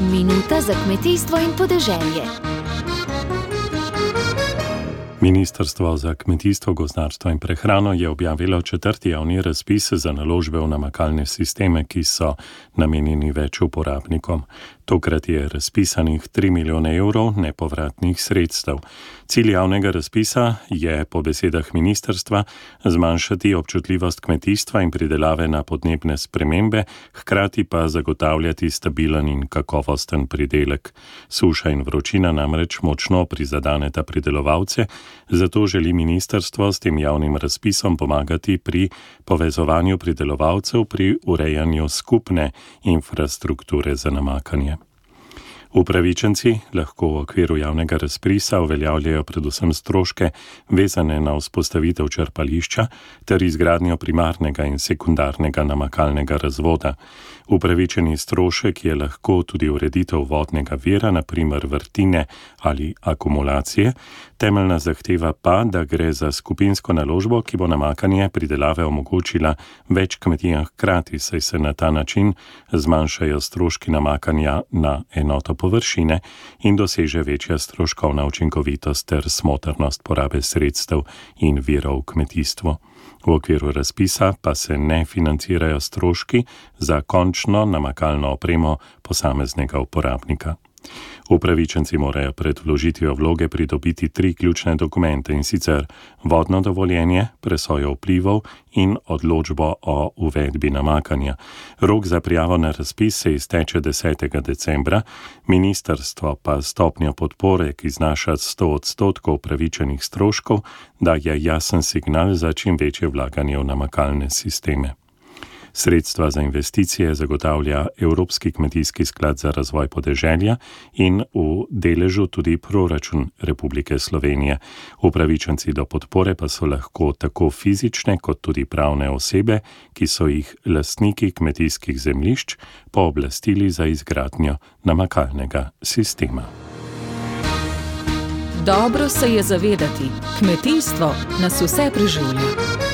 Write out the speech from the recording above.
Minuta za kmetijstvo in podeželje. Ministrstvo za kmetijstvo, gozdarstvo in prehrano je objavilo 4. javni razpis za naložbe v namakalne sisteme, ki so namenjeni več uporabnikom. Tokrat je razpisanih 3 milijone evrov nepovratnih sredstev. Cilj javnega razpisa je po besedah ministrstva zmanjšati občutljivost kmetijstva in pridelave na podnebne spremembe, hkrati pa zagotavljati stabilen in kakovosten pridelek. Suša in vročina namreč močno prizadeneta pridelovalce, zato želi ministrstvo s tem javnim razpisom pomagati pri povezovanju pridelovalcev pri urejanju skupne infrastrukture za namakanje. Upravičenci lahko v okviru javnega razpisa uveljavljajo predvsem stroške vezane na vzpostavitev črpališča ter izgradnjo primarnega in sekundarnega namakalnega razvoda. Upravičeni strošek je lahko tudi ureditev vodnega vira, na primer vrtine ali akumulacije. Temeljna zahteva pa, da gre za skupinsko naložbo, ki bo namakanje pridelave omogočila več kmetijam hkrati, saj se na ta način zmanjšajo stroški namakanja na enoto površine in doseže večja stroškovna učinkovitost ter smotrnost porabe sredstev in virov v kmetijstvu. V okviru razpisa pa se ne financirajo stroški za končno namakalno opremo posameznega uporabnika. Upravičenci morajo pred vložitvijo vloge pridobiti 3 ključne dokumente, in sicer vodno dovoljenje, presojo vplivov in odločbo o uvedbi namakanja. Rok za prijavo na razpis se izteče 10. decembra, ministrstvo pa stopnjo podpore, ki znaša 100% upravičenih stroškov, daje jasen signal za čim večje vlaganje v namakalne sisteme. Sredstva za investicije zagotavlja Evropski kmetijski sklad za razvoj podeželja in v deležu tudi proračun Republike Slovenije. Upravičenci do podpore pa so lahko tako fizične kot tudi pravne osebe, ki so jih lastniki kmetijskih zemljišč pooblastili za izgradnjo namakalnega sistema. Dobro se je zavedati, kmetijstvo nas vse preživlja.